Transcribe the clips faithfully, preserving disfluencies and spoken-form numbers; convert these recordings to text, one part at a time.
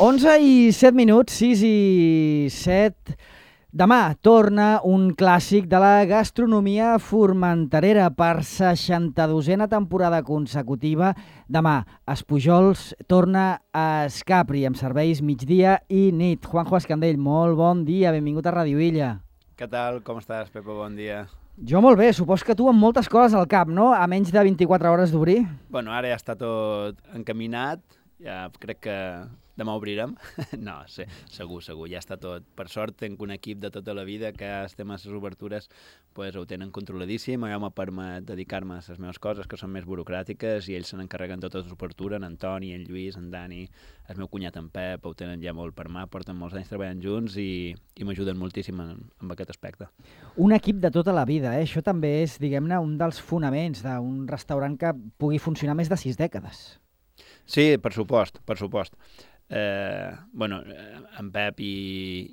onze i set minuts, sis i set. Demà torna un clàssic de la gastronomia formenterera per seixanta-dosena temporada consecutiva. Demà, Espujols torna a Escapri amb serveis migdia i nit. Juanjo Escandell, molt bon dia, benvingut a Ràdio Illa. Què tal? Com estàs, Pepa? Bon dia. Jo molt bé, supos que tu amb moltes coses al cap, no? A menys de vint-i-quatre hores d'obrir. Bueno, ara ja està tot encaminat, ja crec que demà obrirem. No, sí, segur, segur, ja està tot. Per sort, tenc un equip de tota la vida que estem a les obertures, pues, ho tenen controladíssim, jo me permet dedicar-me a les meves coses que són més burocràtiques i ells se n'encarreguen de totes les obertures, en Antoni, en Lluís, en Dani, el meu cunyat en Pep, ho tenen ja molt per mà, porten molts anys treballant junts i, i m'ajuden moltíssim en, en aquest aspecte. Un equip de tota la vida, eh? Això també és, diguem-ne, un dels fonaments d'un restaurant que pugui funcionar més de sis dècades. Sí, per supost, per supost. Eh, bueno, en Pep i,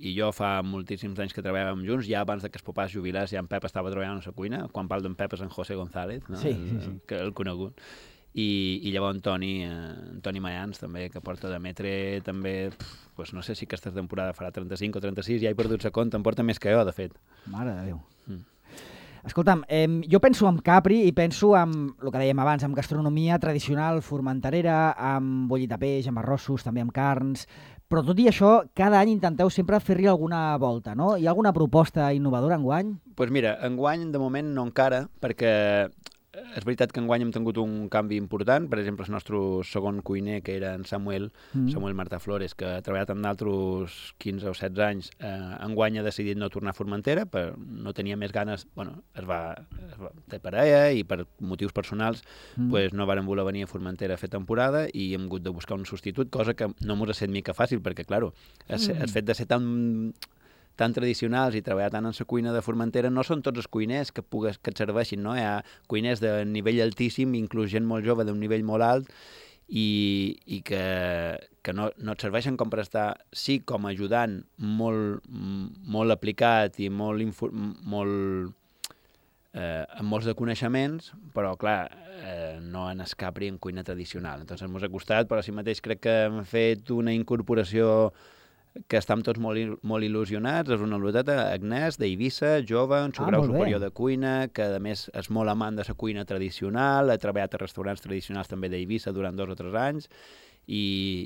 i jo fa moltíssims anys que treballàvem junts, ja abans que el papà es jubilés, ja en Pep estava treballant a la cuina, quan parlo d'en Pep és en José González, no? Sí, sí, sí. El, que el conegut, i, i llavors en Toni, eh, en Toni Mayans també, que porta de metre també, pf, pues no sé si aquesta temporada farà trenta-cinc o trenta-sis, ja he perdut la compte, em porta més que jo, de fet. Mare de Déu. Mm. Escolta'm, eh, jo penso en Capri i penso en, el que dèiem abans, en gastronomia tradicional formenterera, amb bollit de peix, amb arrossos, també amb carns, però tot i això, cada any intenteu sempre fer-hi alguna volta, no? Hi ha alguna proposta innovadora enguany? Doncs pues mira, enguany de moment no encara, perquè és veritat que enguany hem tingut un canvi important. Per exemple, el nostre segon cuiner, que era en Samuel, mm. Samuel Martà Flores, que ha treballat amb d'altres quinze o setze anys, eh, enguany ha decidit no tornar a Formentera, però no tenia més ganes, bueno, es va, es va té parella i per motius personals mm. pues no varen voler venir a Formentera a fer temporada i hem hagut de buscar un substitut, cosa que no mos ha set mica fàcil, perquè, claro, el, mm. el fet de ser tan tan tradicionals i treballar tant en la cuina de Formentera, no són tots els cuiners que, pugues, que et serveixin, no? Hi ha cuiners de nivell altíssim, inclús gent molt jove d'un nivell molt alt, i, i que, que no, no et serveixen com per estar, sí, com a ajudant molt, molt aplicat i molt, infor, molt eh, amb molts de coneixements, però, clar, eh, no en Escapri en cuina tradicional. Entonces, ens ha costat, però així mateix crec que hem fet una incorporació que estem tots molt, molt il·lusionats. És una loteta, Agnès, d'Eivissa, jove, un subgrau ah, superior de cuina, que a més és molt amant de la cuina tradicional, ha treballat a restaurants tradicionals també d'Eivissa durant dos o tres anys, i,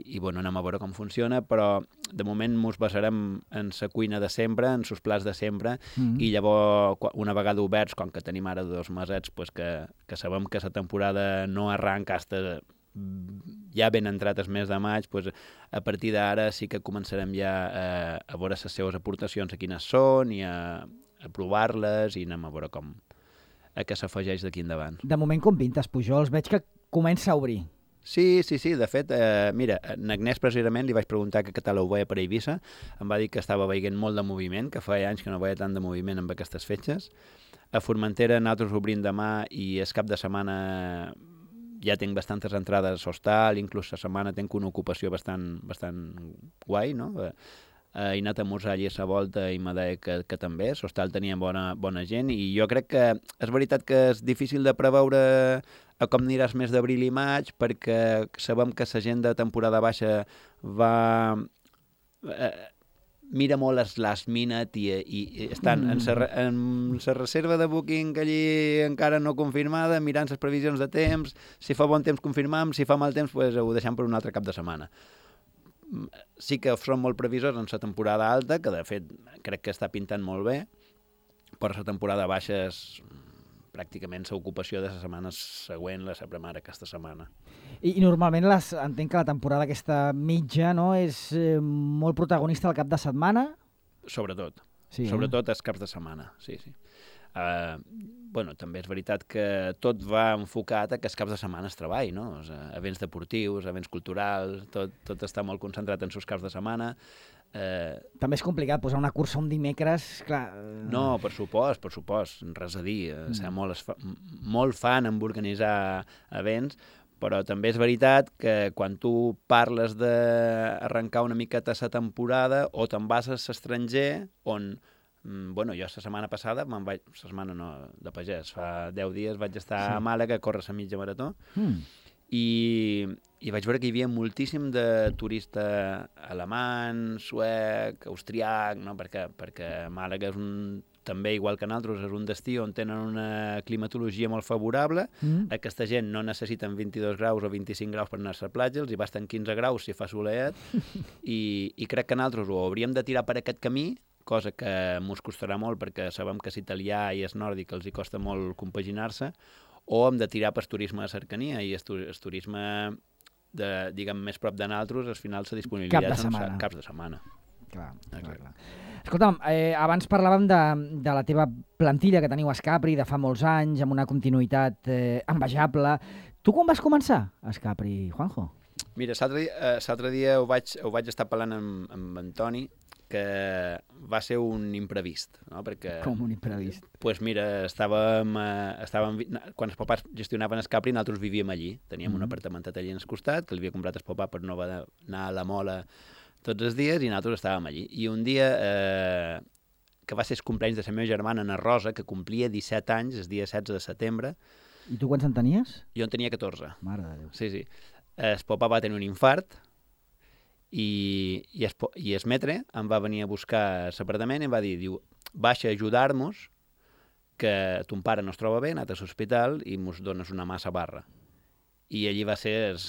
i bueno, anem a veure com funciona, però de moment ens basarem en la cuina de sempre, en els plats de sempre, mm-hmm. i llavors, una vegada oberts, com que tenim ara dos mesets, pues que, que sabem que la temporada no arranca hasta ja ben entrat el mes de maig, doncs a partir d'ara sí que començarem ja a, a veure les seves aportacions a quines són i a, a provar-les i anem a veure com a què s'afegeix d'aquí endavant. De moment com pintes, Pujols? Veig que comença a obrir. Sí, sí, sí, de fet, eh, mira, en Agnès precisament li vaig preguntar que què tal ho veia per Eivissa, em va dir que estava veient molt de moviment, que feia anys que no veia tant de moviment amb aquestes fetges. A Formentera nosaltres obrim demà i el cap de setmana ja tinc bastantes entrades a l'hostal, inclús la setmana tinc una ocupació bastant, bastant guai, no? Eh, he anat a esmorzar allí a la volta i m'ha dit que, que també, l'hostal tenia bona, bona gent, i jo crec que és veritat que és difícil de preveure a com aniràs mes d'abril i maig, perquè sabem que la gent de temporada baixa va... Eh, mira molt les last minute i, i, i estan mm. en la reserva de booking allí encara no confirmada, mirant les previsions de temps, si fa bon temps confirmam, si fa mal temps pues, ho deixem per un altre cap de setmana. Sí que són molt previsors en la temporada alta, que de fet crec que està pintant molt bé, però la temporada baixa és pràcticament l'ocupació de la setmana següent, la sempre mare aquesta setmana. I, i normalment les, entenc que la temporada aquesta mitja, no, és eh, molt protagonista al cap de setmana? Sobretot. Sí, Sobretot eh? els caps de setmana, sí, sí. Uh, bueno, també és veritat que tot va enfocat a que els caps de setmana es treballi, no? O sigui, events deportius, events culturals, tot, tot està molt concentrat en els caps de setmana. Eh... També és complicat posar una cursa un dimecres, clar... No, per supost, per supost, res a dir. Mm. Ser molt, fa... molt fan en organitzar events, però també és veritat que quan tu parles d'arrencar una miqueta la temporada o te'n vas a l'estranger, on... Bueno, jo la setmana passada, me'n vaig... La setmana no, de pagès, fa deu dies vaig estar sí. a Màlaga a córrer la mitja marató, mm. i, i vaig veure que hi havia moltíssim de turista alemany, suec, austriac, no? perquè, perquè Màlaga és un, també, igual que nosaltres, és un destí on tenen una climatologia molt favorable. Mm. Aquesta gent no necessiten vint-i-dos graus o vint-i-cinc graus per anar-se a la platja, els hi basten quinze graus si fa soleat, i, i crec que nosaltres ho hauríem de tirar per aquest camí, cosa que mos costarà molt perquè sabem que és italià i és nòrdic, els hi costa molt compaginar-se, o hem de tirar per turisme de cercania, i el, el turisme de, diguem, més prop de nosaltres, al final la disponibilitat Cap de setmana. Caps de setmana. Clar, clar, clar. Escolta'm, eh, abans parlàvem de, de la teva plantilla que teniu a Escapri de fa molts anys, amb una continuïtat eh, envejable. Tu quan vas començar a Escapri, Juanjo? Mira, l'altre dia, eh, dia ho, vaig, ho vaig estar parlant amb, amb Antoni, que va ser un imprevist, no? Perquè, com un imprevist? Doncs pues mira, estàvem, eh, estàvem, quan els papàs gestionaven Escapri, nosaltres vivíem allí. Teníem mm-hmm. un apartamentet allí al costat, que l'havia comprat el papà per no anar a la Mola tots els dies, i nosaltres estàvem allí. I un dia, eh, que va ser el cumpleaños de la meva germana, Ana Rosa, que complia disset anys, el dia setze de setembre. I tu quants en tenies? Jo en tenia catorze. Mare de Déu. Sí, sí. El papà va tenir un infart, i, i, es, i el metre em va venir a buscar a l'apartament i em va dir, diu, baixa a ajudar-nos, que ton pare no es troba bé, ha anat a l'hospital i mos dones una massa barra. I allí va ser el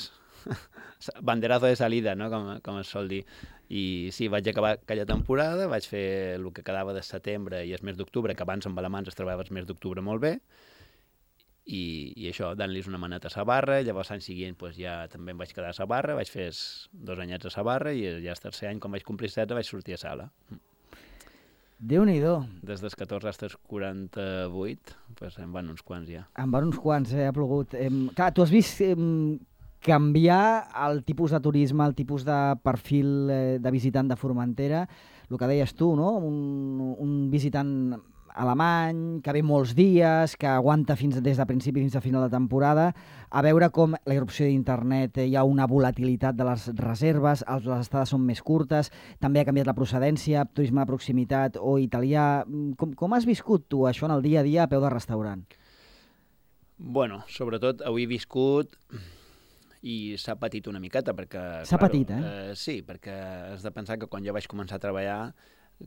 banderazo de salida, no? com, com es sol dir. I sí, vaig acabar aquella temporada, vaig fer el que quedava de setembre i el mes d'octubre, que abans amb alemans es treballava el mes d'octubre molt bé, i, i això, dant-los una maneta a la barra. Llavors l'any següent pues, ja també em vaig quedar a la barra, vaig fer dos anyets a la barra, i ja el tercer any, quan vaig complir setze, vaig sortir a sala. Déu-n'hi-do. Des dels catorze fins als quaranta-vuit, pues, en van uns quants ja. En van uns quants, eh? Ha plogut. Eh, clar, tu has vist eh, canviar el tipus de turisme, el tipus de perfil eh, de visitant de Formentera, el que deies tu, no? Un, un visitant alemany, que ve molts dies, que aguanta fins des de principi fins a final de temporada, a veure com la irrupció d'internet, eh, hi ha una volatilitat de les reserves, els, les estades són més curtes, també ha canviat la procedència, turisme de proximitat o italià. Com, com has viscut tu això en el dia a dia a peu de restaurant? Bueno, sobretot avui he viscut i s'ha patit una miqueta, perquè... S'ha claro, patit, eh? eh? Sí, perquè has de pensar que quan jo vaig començar a treballar,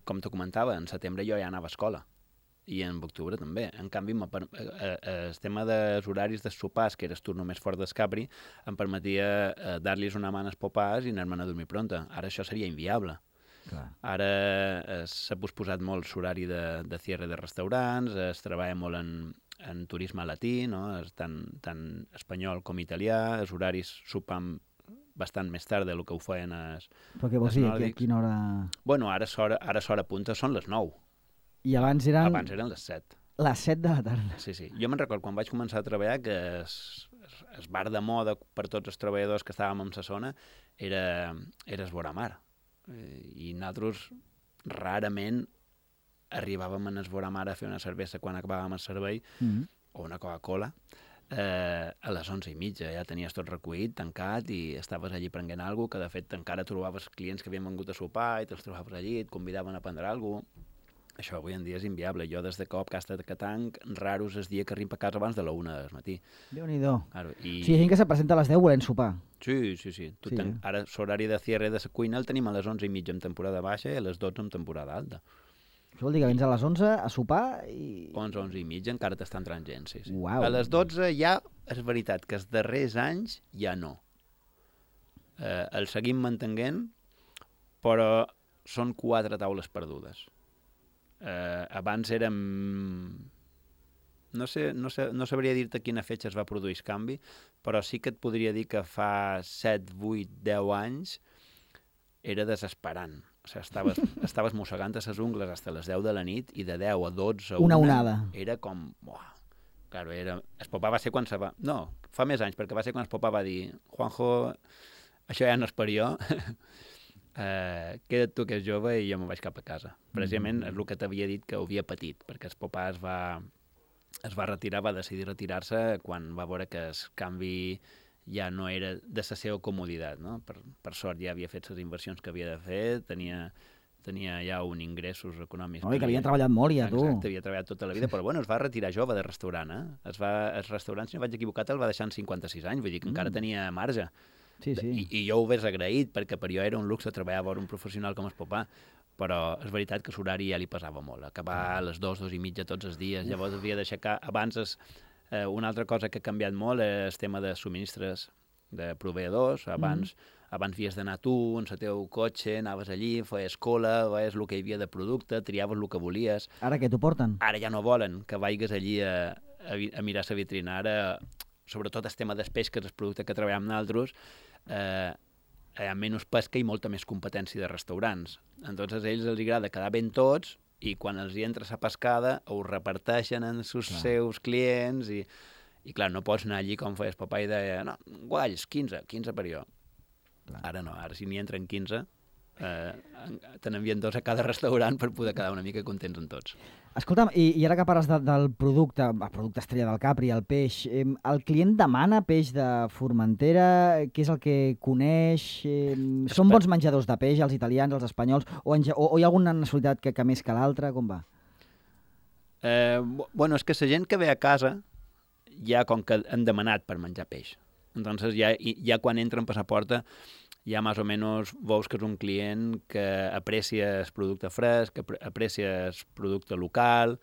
com te comentava, en setembre jo ja anava a escola. I en octubre també. En canvi, el tema dels horaris de sopars, que era el turno més fort d'Escapri, em permetia eh, dar-los una mà als popars i anar-me'n a dormir pronta. Ara això seria inviable. Clar. Ara eh, s'ha posposat molt l'horari de, de cierre de restaurants, es treballa molt en, en turisme latí, no? És tant, tant espanyol com italià, els horaris sopam bastant més tard del que ho feien els nòrdics. Però què vols dir? A quina hora? Bueno, ara l'hora punta són les nou. I abans eren... Abans eren les set. Les set de la tarda. Sí, sí. Jo me'n recordo quan vaig començar a treballar que es, es, es bar de moda per tots els treballadors que estàvem en la zona era, era es Voramar. I nosaltres rarament arribàvem a es Voramar a fer una cervesa quan acabàvem el servei, mm-hmm. o una Coca-Cola, eh, a les onze i mitja. Ja tenies tot recollit, tancat, i estaves allí prenent alguna cosa, que de fet encara trobaves clients que havien vengut a sopar i te'ls trobaves allí, et convidaven a prendre alguna cosa. Això avui en dia és inviable. Jo, des de cop, que ha estat a Catanc, raro és el dia que arribo a casa abans de la una del matí. Déu-n'hi-do. Claro, i... Sí, hi ha gent que se presenta a les deu volent sopar. Sí, sí, sí. Tu sí. Ten... Ara l'horari de cierre de la cuina el tenim a les onze i mitja en temporada baixa i a les dotze en temporada alta. Això vol dir que vens a les onze a sopar i... onze, onze i mitja encara t'estan entrant gent, sí, sí. Uau. A les dotze ja, és veritat, que els darrers anys ja no. Eh, el seguim mantenint, però són quatre taules perdudes. Uh, abans érem... No sé, no sé, no sabria dir-te quina fetge es va produir el canvi, però sí que et podria dir que fa set, vuit, deu anys era desesperant. O sigui, estaves, estaves mossegant a les ungles fins a les deu de la nit i de deu a dotze a una... una onada. Era com... Buah. Claro, era... El papà va ser quan se va... No, fa més anys, perquè va ser quan el papà va dir Juanjo, això ja no és per jo... Uh, queda't tu que és jove i jo me'n vaig cap a casa. Precisament mm-hmm. és el que t'havia dit que ho havia patit, perquè el papà es va, es va retirar, va decidir retirar-se quan va veure que el canvi ja no era de la seva comoditat, no? Per, per sort ja havia fet les inversions que havia de fer, tenia, tenia ja un ingressos econòmics. Oi, que havia treballat molt ja, tu. Exacte, havia treballat tota la vida, però bueno, es va retirar jove de restaurant, eh? Es va, el restaurant, si no vaig equivocat, el va deixar en cinquanta-sis anys, vull dir que mm. encara tenia marge. Sí, sí. I, I jo ho hagués agraït, perquè per jo era un luxe treballar a veure un professional com el papà, però és veritat que l'horari ja li pesava molt. Acabar a les dues, dues i mitja tots els dies, llavors havia d'aixecar... Abans, es, eh, una altra cosa que ha canviat molt és el tema de subministres de proveïdors. Abans... Mm. Abans havies d'anar tu, en el teu cotxe, anaves allí, feies cola, veies el que hi havia de producte, triaves el que volies. Ara què t'ho porten? Ara ja no volen que vagis allí a, a, a mirar la vitrina. Ara, sobretot el tema dels peix, que és el producte que treballem nosaltres, eh, hi ha menys pesca i molta més competència de restaurants. Entonces a ells els agrada quedar ben tots i quan els hi entra la pescada ho reparteixen en els seus clients i, i clar, no pots anar allí com feies papà i deia, no, gualls, quinze, quinze per jo. Clar. Ara no, ara si n'hi entren quinze, eh, te n'envien dos a cada restaurant per poder quedar una mica contents en tots. Escolta'm, i, i ara que parles de, del producte, el producte estrella del Capri, el peix, eh, el client demana peix de Formentera? Què és el que coneix? Eh, són bons menjadors de peix, els italians, els espanyols, o, en, o, o hi ha alguna nacionalitat que, que més que l'altra? Com va? Eh, bueno, és que la gent que ve a casa ja com que han demanat per menjar peix. Entonces ja, ja quan entren per la porta ja més o menys veus que és un client que aprecia el producte fresc, que aprecia el producte local.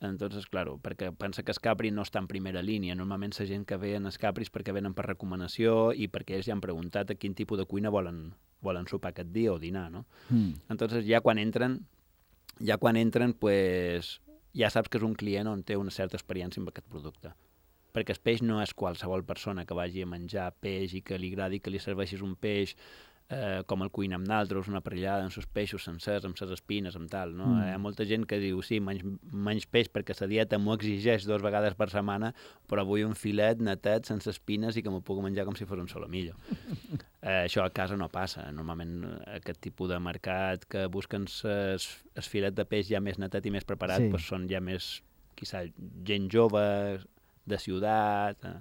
Entonces, claro, perquè pensa que el Capri no està en primera línia. Normalment la gent que ve en els Capris perquè venen per recomanació i perquè ells ja han preguntat a quin tipus de cuina volen, volen sopar aquest dia o dinar, no? Mm. Entonces ja quan entren, ja quan entren, pues, ja saps que és un client on té una certa experiència amb aquest producte. Perquè el peix no és qualsevol persona que vagi a menjar peix i que li agradi que li serveixis un peix eh, com el cuina amb naltros, una parrillada amb els peixos sencers, amb les espines, amb tal, no? Mm. Hi ha molta gent que diu, sí, menys, menys peix perquè la dieta m'ho exigeix dues vegades per setmana, però vull un filet netet, sense espines i que m'ho puc menjar com si fos un solomillo. eh, això a casa no passa. Normalment aquest tipus de mercat que busquen el filet de peix ja més netet i més preparat, sí. Pues són ja més, quizà, gent jove, de ciutat... Eh.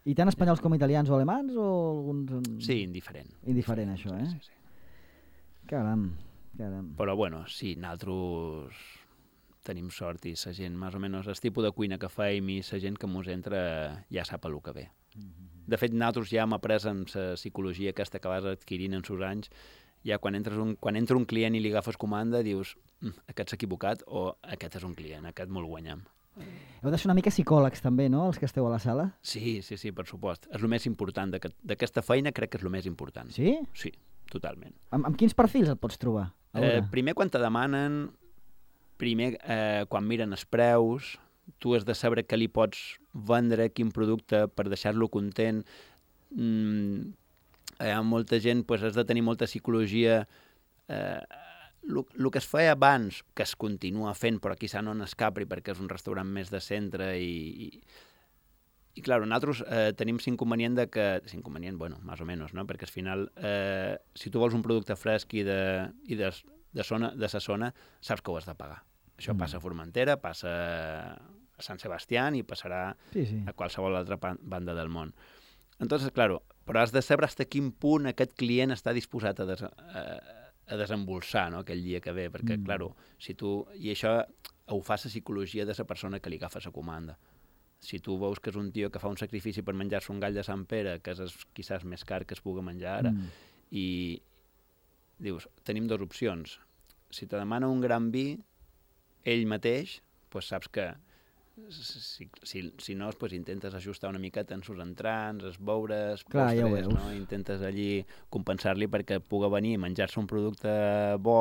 I tant espanyols com italians o alemans o alguns... Sí, indiferent. Indiferent, això, eh? Sí, sí. Caram, caram. Però, bueno, sí, nosaltres tenim sort i la gent, més o menys, el tipus de cuina que feim i la gent que mos entra ja sap el que ve. Mm-hmm. De fet, nosaltres ja hem après amb la psicologia aquesta que vas adquirint en sus anys, ja quan, entres un, quan entra un client i li agafes comanda, dius, mm, aquest s'ha equivocat o aquest és un client, aquest me'l guanyem. Heu de ser una mica psicòlegs també, no?, els que esteu a la sala? Sí, sí, sí, per supost. És el més important d'aquesta feina, crec que és el més important. Sí? Sí, totalment. Amb, amb quins perfils et pots trobar? Eh, primer, quan te demanen, primer, eh, quan miren els preus, tu has de saber què li pots vendre, quin producte, per deixar-lo content. Mm, hi ha molta gent, doncs has de tenir molta psicologia. Eh, El que es feia abans, que es continua fent, però quizà no en el Capri, perquè és un restaurant més de centre i... I, i clar, nosaltres eh, tenim l'inconvenient de que... L'inconvenient, bueno, més o menys, no? Perquè al final, eh, si tu vols un producte fresc i de, i de, de, zona, de sa zona, saps que ho has de pagar. Això mm. passa a Formentera, passa a Sant Sebastián i passarà sí, sí. a qualsevol altra banda del món. Entonces, claro, però has de saber fins a quin punt aquest client està disposat a... Des, a a desembolsar, no?, aquell dia que ve, perquè, mm. claro, si tu... I això ho fa la psicologia de la persona que li agafa la comanda. Si tu veus que és un tio que fa un sacrifici per menjar-se un gall de Sant Pere, que és quizás més car que es pugui menjar ara, mm. i dius, tenim dues opcions. Si te demana un gran vi, ell mateix, pues saps que si, si, si no, pues intentes ajustar una miqueta en sus entrants, els beures, Clar, postres, ja no? Intentes allí compensar-li perquè pugui venir i menjar-se un producte bo,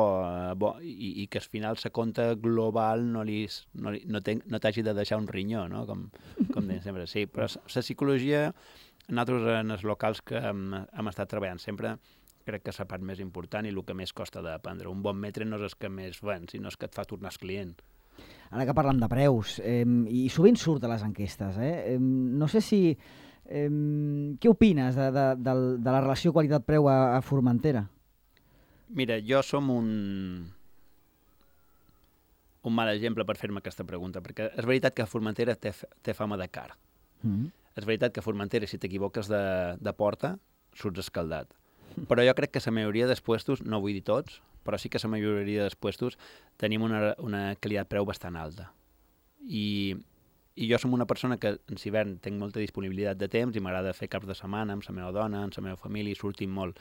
bo i, i que al final la compta global no, li, no, no, no t'hagi de deixar un rinyó, no? Com, com deien sempre. Sí, però la psicologia, nosaltres en els locals que hem, hem estat treballant sempre, crec que és la part més important i el que més costa d'aprendre. Un bon metre no és el que més ven, sinó és que et fa tornar el client. Ara que parlem de preus, eh, i sovint surt a les enquestes, eh, eh, no sé si... Eh, què opines de, de, de, de la relació qualitat-preu a, a Formentera? Mira, jo som un... un mal exemple per fer-me aquesta pregunta, perquè és veritat que Formentera té, té fama de car. Mm-hmm. És veritat que Formentera, si t'equivoques de, de porta, surts escaldat. Però jo crec que la majoria dels puestos, no vull dir tots, però sí que la majoria dels puestos tenim una, una qualitat preu bastant alta. I, i jo som una persona que en hivern tinc molta disponibilitat de temps i m'agrada fer caps de setmana amb la meva dona, amb la meva família, i sortim molt.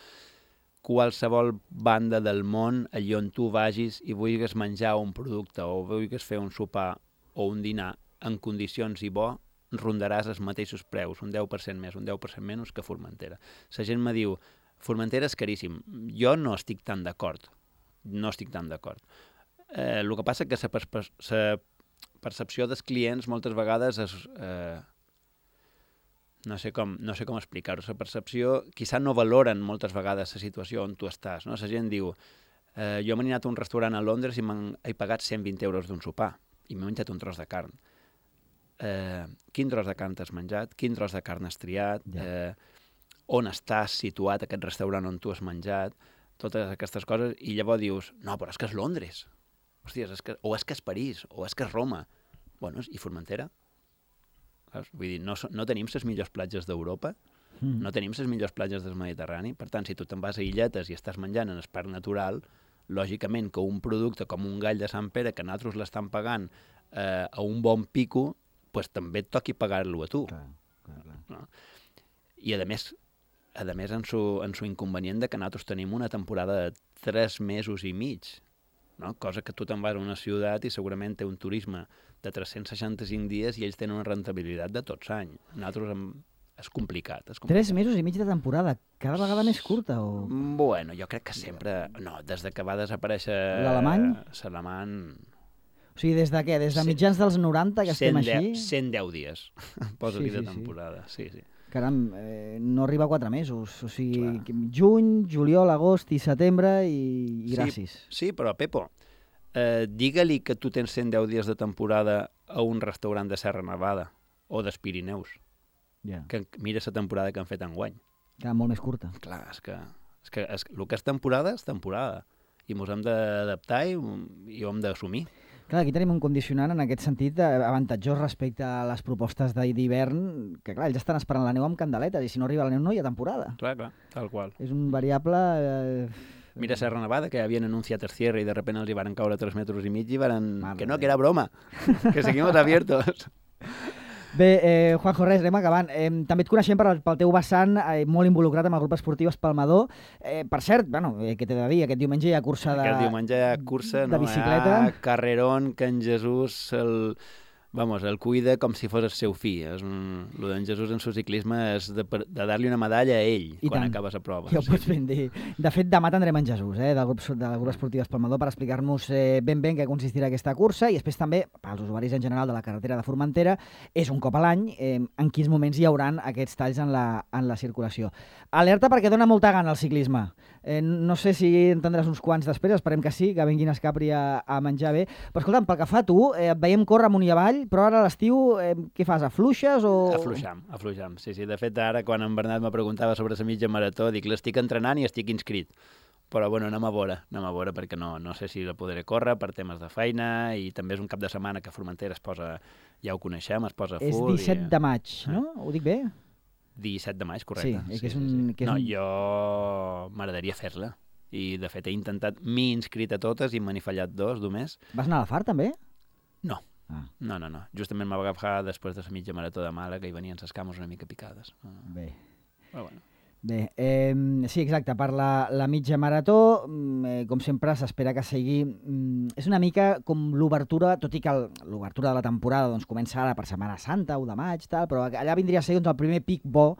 Qualsevol banda del món, allà on tu vagis i vulguis menjar un producte o vulguis fer un sopar o un dinar en condicions i bo, rondaràs els mateixos preus, un deu per cent més, un deu per cent menys que Formentera. La gent me diu, Formentera és caríssim. Jo no estic tan d'acord. No estic tan d'acord. Eh, el que passa és que la per percepció dels clients moltes vegades és... Eh, no sé com, no sé com explicar-ho. La percepció, quizà no valoren moltes vegades la situació on tu estàs. No? La gent diu, eh, jo m'he anat a un restaurant a Londres i m'he pagat cent vint euros d'un sopar i m'he menjat un tros de carn. Eh, quin tros de carn t'has menjat? Quin tros de carn has triat? Ja. Eh, on estàs situat aquest restaurant on tu has menjat? Totes aquestes coses. I llavors dius, no, però és que és Londres. Hòstia, és que, o és que és París, o és que és Roma. Bueno, i Formentera? Saps? Vull dir, no, no tenim les millors platges d'Europa, mm. no tenim les millors platges del Mediterrani. Per tant, si tu te'n vas a illetes i estàs menjant en el parc natural, lògicament que un producte com un gall de Sant Pere, que nosaltres l'estan pagant eh, a un bon pico, pues, també et toqui pagar-lo a tu. Clar, clar, clar. No? I a més, a més en su, en su inconvenient de que nosaltres tenim una temporada de tres mesos i mig, no? Cosa que tu te'n vas a una ciutat i segurament té un turisme de tres-cents seixanta-cinc dies i ells tenen una rentabilitat de tots anys. Nosaltres hem... és complicat, és complicat. Tres mesos i mig de temporada, cada vegada més curta? O... Bueno, jo crec que sempre... No, des de que va desaparèixer... L'alemany? L'alemany... O sigui, des de què? Des de mitjans dels noranta que estem així? cent deu dies, posa-li sí, sí, de temporada, sí, sí. Caram, eh, no arriba a quatre mesos. O sigui, clar. Juny, juliol, agost i setembre i, i gràcies. Sí, sí, però Pepo, eh, digue-li que tu tens cent deu dies de temporada a un restaurant de Serra Nevada o dels Pirineus, yeah. que mira la temporada que han fet enguany. Clar, molt més curta. Clar, és que, és que és, el que és temporada és temporada i ens hem d'adaptar i, i ho hem d'assumir. Clar, aquí tenim un condicionant en aquest sentit avantatjós respecte a les propostes d'hivern, que clar, ells estan esperant la neu amb candeletes i si no arriba la neu no hi ha temporada. Clar, clar, tal qual. És un variable... Eh... Mira Serra Nevada, que havien anunciat el cierre i de repente els hi van caure tres metres i mig i van... Madre que no, que era broma, que seguimos abiertos. Bé, eh, Juanjo, res, anem acabant. Eh, també et coneixem per, pel teu vessant eh, molt involucrat amb el grup esportiu Espalmador. Eh, per cert, bueno, eh, què t'he de dir? Aquest diumenge hi ha cursa de Aquest diumenge hi ha cursa, de no? bicicleta. Hi ha carrerón que en Jesús el, vamos, el cuida com si fos el seu fill. És un, lo d'en Jesús en su ciclisme és de, de dar-li una medalla a ell I quan tant. acaba la prova. Ja ho sí. pots ben dir. De fet, demà tindrem en Jesús, eh, del grup, del grup esportiu Espalmador, per explicar-nos eh, ben bé en què consistirà aquesta cursa i després també, pels usuaris en general de la carretera de Formentera, és un cop a l'any eh, en quins moments hi hauran aquests talls en la, en la circulació. Alerta perquè dona molta gana el ciclisme. Eh, no sé si en tindràs uns quants després, esperem que sí, que venguin a Escapri a, a menjar bé. Però escolta'm, pel que fa a tu, eh, et veiem córrer amunt i avall, però ara a l'estiu eh, què fas, afluixes o...? Afluixam, afluixam. Sí, sí. De fet, ara, quan en Bernat me preguntava sobre la mitja marató, dic, l'estic entrenant i estic inscrit. Però, bueno, anem a veure, anem a veure, perquè no, no sé si la podré córrer per temes de feina i també és un cap de setmana que Formentera es posa, ja ho coneixem, es posa full. És disset i... de maig, no? Ho dic bé? disset de maig, correcte. Sí, que és sí, un... sí. Que és no, un... jo m'agradaria fer-la. I, de fet, he intentat, m'he inscrit a totes i me n'he fallat dos, només. Vas anar a la Far, també? No. Ah. No, no, no. Justament m'ha agafat després de la mitja marató de Màlaga i venien les cames una mica picades. Bé. Però bueno. Bé, eh, sí, exacte, per la, la mitja marató, eh, com sempre s'espera que sigui... Mm, és una mica com l'obertura, tot i que l'obertura de la temporada doncs, comença ara per Setmana Santa, u de maig, tal, però allà vindria a ser doncs, el primer pic bo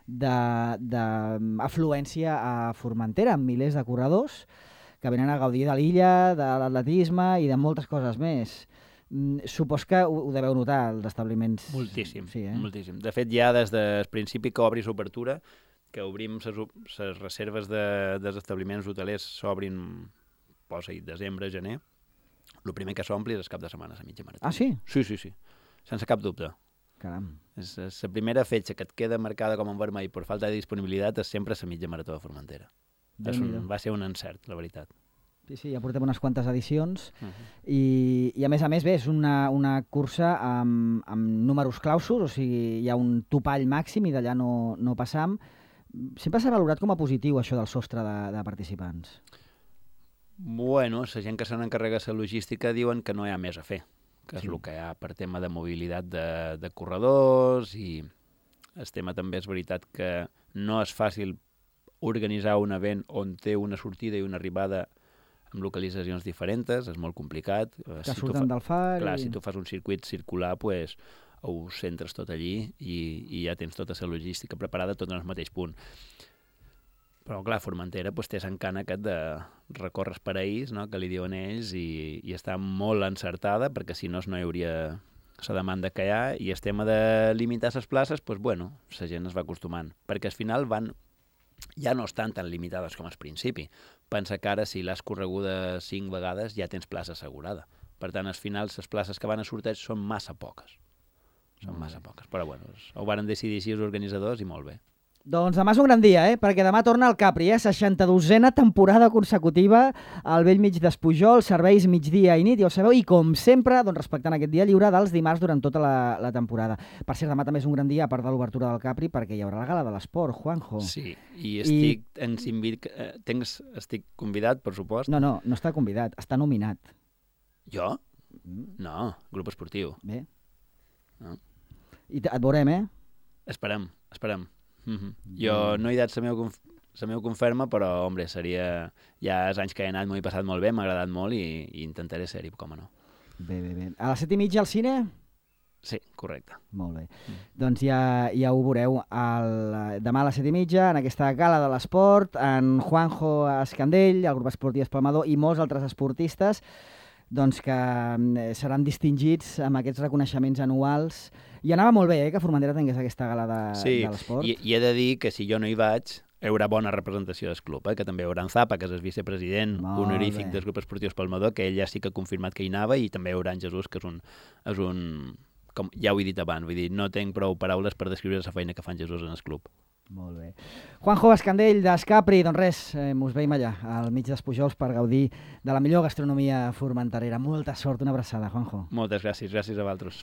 d'afluència a Formentera, amb milers de corredors que venen a gaudir de l'illa, de l'atletisme i de moltes coses més. Mm, supos que ho, ho deveu notar, els establiments... Moltíssim, sí, eh? moltíssim. De fet, ja des del principi que obris obertura, que obrim les reserves de, dels establiments hotelers s'obrin, posa-hi, desembre, gener, el primer que s'ompli és el cap de setmana, la mitja marató. Ah, sí? Sí, sí, sí, sense cap dubte. Caram. És, és la primera fetge que et queda marcada com en vermell per falta de disponibilitat és sempre la mitja marató de Formentera. És un, va ser un encert, la veritat. Sí, sí, ja portem unes quantes edicions uh -huh. i, i a més a més bé, és una, una cursa amb, amb números clausos, o sigui, hi ha un topall màxim i d'allà no, no passam. Sempre s'ha valorat com a positiu això del sostre de, de participants. Bueno, la gent que se n'encarrega la logística diuen que no hi ha més a fer, que Sí. és el que hi ha per tema de mobilitat de, de corredors i el tema també és veritat que no és fàcil organitzar un event on té una sortida i una arribada amb localitzacions diferents, és molt complicat. Que Si tu surten fa- del far... Clar, i... si tu fas un circuit circular, pues, ho centres tot allí i, i ja tens tota la logística preparada tot en el mateix punt. Però, clar, Formentera pues, té l'encant aquest de recórrer per ells, no?, que li diuen ells, i, i està molt encertada, perquè si no, no hi hauria la demanda que hi ha, i el tema de limitar les places, pues, bueno, la gent es va acostumant, perquè al final van ja no estan tan limitades com al principi. Pensa que ara, si l'has correguda cinc vegades, ja tens plaça assegurada. Per tant, al final, les places que van a sorteig són massa poques. Són massa poques. Però, bueno, ho varen decidir així els organitzadors i molt bé. Doncs demà és un gran dia, eh? Perquè demà torna el Capri, eh? seixanta-dosena temporada consecutiva al vell mig d'Espujol, serveis migdia i nit, ja ho sabeu, i com sempre, doncs respectant aquest dia lliure dels dimarts durant tota la, la temporada. Per cert, demà també és un gran dia, a part de l'obertura del Capri, perquè hi haurà la gala de l'esport, Juanjo. Sí, i estic, I... En Simbic, eh, tens, estic convidat, per supost. No, no, no està convidat, està nominat. Jo? No, grup esportiu. Bé. No. I et veurem, eh? Esperem, esperem. Mm -hmm. Jo no he dat la meva, conf la meva conferma, però, hombre, seria... Ja els anys que he anat m'ho he passat molt bé, m'ha agradat molt i, i intentaré ser-hi, com no. Bé, bé, bé. A les set i mitja al cine? Sí, correcte. Molt bé. Mm. Doncs ja, ja ho veureu el, demà a les set i mitja, en aquesta gala de l'esport, en Juanjo Escandell, el grup esportiu Espalmador i molts altres esportistes doncs que seran distingits amb aquests reconeixements anuals. I anava molt bé, eh, que Formentera tingués aquesta gala de, sí, de l'esport. Sí, i, i he de dir que si jo no hi vaig, hi haurà bona representació del club, eh? Que també hi haurà en Zapa, que és el vicepresident Molt honorífic bé. del grup esportiu Espalmador, que ell ja sí que ha confirmat que hi anava, i també hi haurà en Jesús, que és un... És un com ja ho he dit abans, vull dir, no tinc prou paraules per descriure la feina que fa en Jesús en el club. Molt bé. Juanjo Escandell, d'Escapri, doncs res, eh, mos veiem allà, al mig d'Espujols, per gaudir de la millor gastronomia formenterera. Molta sort, una abraçada, Juanjo. Moltes gràcies, gràcies a vosaltres.